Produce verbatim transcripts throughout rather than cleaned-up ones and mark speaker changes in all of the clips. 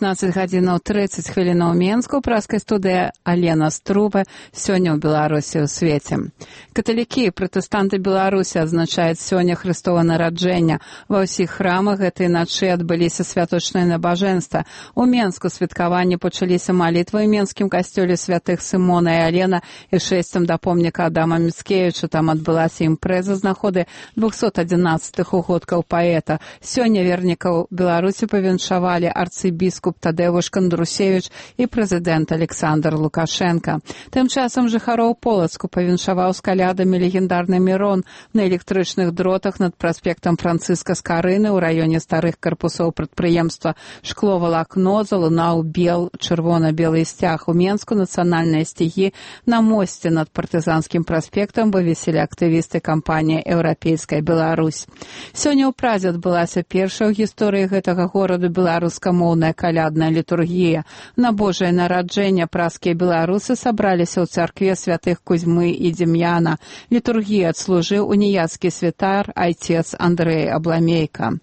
Speaker 1: пятнадцать гадзінаў тридцать хвілінаў Менску, праскай студыя Алена Струба. Сёння ў Беларусі ў свеце. Каталікі і пратэстанты Беларусі адзначаюць сёння Хрыстова нараджэння. Ва ўсіх храмах гэтай начы адбыліся святочныя набажэнства. У Менску святкаванні пачаліся малітвы ў Менскім касцёле святых Сымона і Алена і шэсцем да помніка Адама Міцкевіча. Там адбылася імпрэза з нагоды двухсот адзінаццатых угодкаў паэта. Сёння вернікаў Беларусі павіншавалі арцыбіскуп Тадеуш Кандрусевич і прэзідэнт Александр Лукашенко. Тым часам жыхароў Полацку павіншаваў з калядамі легендарны Мірон на электрычных дротах над праспектам Францыска Скарыны ў раёне старых карпусоў прадпрыемства «Шкло-валакно» залунаў бел, чырвона-белы сцяг. У Менску нацыянальныя сцягі на мосце над партызанскім праспектам вывесілі актывісты кампаніі «Еўрапейская Беларусь». Сёння ў Празе адбылася першая ў гісторыі гэтага гораду беларускамоўная калядная літургія. На Божае нараджэнне празскія беларусы сабраліся ў царкве святых Кузьмы і Дем'яна. Літургію адслужыў уніяцкі святар айцец Андрэй Абламейка.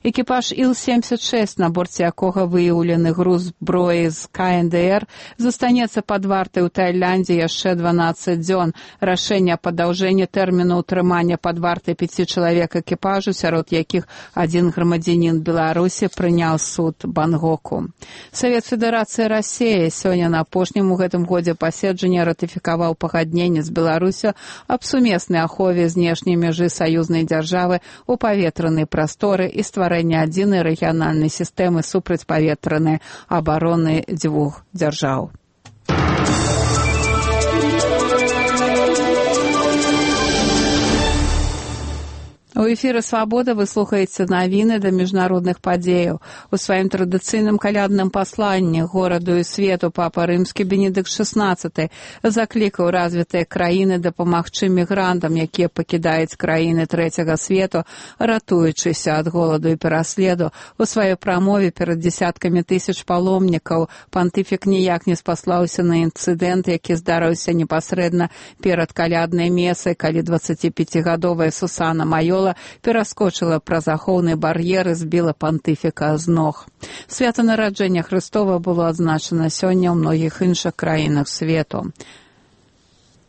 Speaker 1: Экіпаж Іл семьдесят шесть, на борце якога выяўлены груз зброі з ка эн дэ эр, застанецца пад вартай у Таіландзе яшчэ дванаццаць дзён. Рашэнне аб падаўжэнні тэрміну ўтрымання пад вартай пяці чалавек экіпажу, сярод якіх адзін грамадзянін Беларусі, прыняў суд Бангоку. Савет Федэрацыі Расіі сёння на апошнім у гэтым годзе паседжанні ратыфікаваў пагадненне з Беларусю аб сумеснай ахове знешняй мяжы саюзнай дзяржавы ў паветранай прасторы і стварэння адзінай рэгіянальнай сістэмы супрацьпаветранай абароны дзвюх дзяржаў. У эфіры «Свабода» вы слухаеце навіны да міжнародных падзеяў. У сваім традыцыйным калядным пасланні гораду і свету папа рымскі Бенедыкт шэснаццаты заклікаў развітыя краіны дапамагчы мігрантам, якія пакідаюць краіны трэцяга свету, ратуючыся ад голаду і пераследу. У сваёй прамове перад дзесяткамі тысяч паломнікаў пантыфік ніяк не спаслаўся на інцыдэнт, які здарыўся непасрэдна перад каляднай месай, калі дваццаціпяцігадовая Сусана Майола пераскочыла праз ахоўны бар'ер і збіла пантыфіка з ног. Свята нараджэння Хрыстова было адзначана сёння ў многіх іншых краінах свету.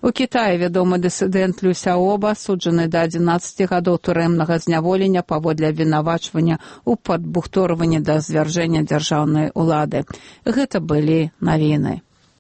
Speaker 1: У Кітаі вядомы дысідэнт Люся Оба асуджаны да адзінаццаці гадоў турэмнага зняволення паводле абвінавачвання ў падбухторванні да звяржэння дзяржаўнай улады. Гэта былі навіны.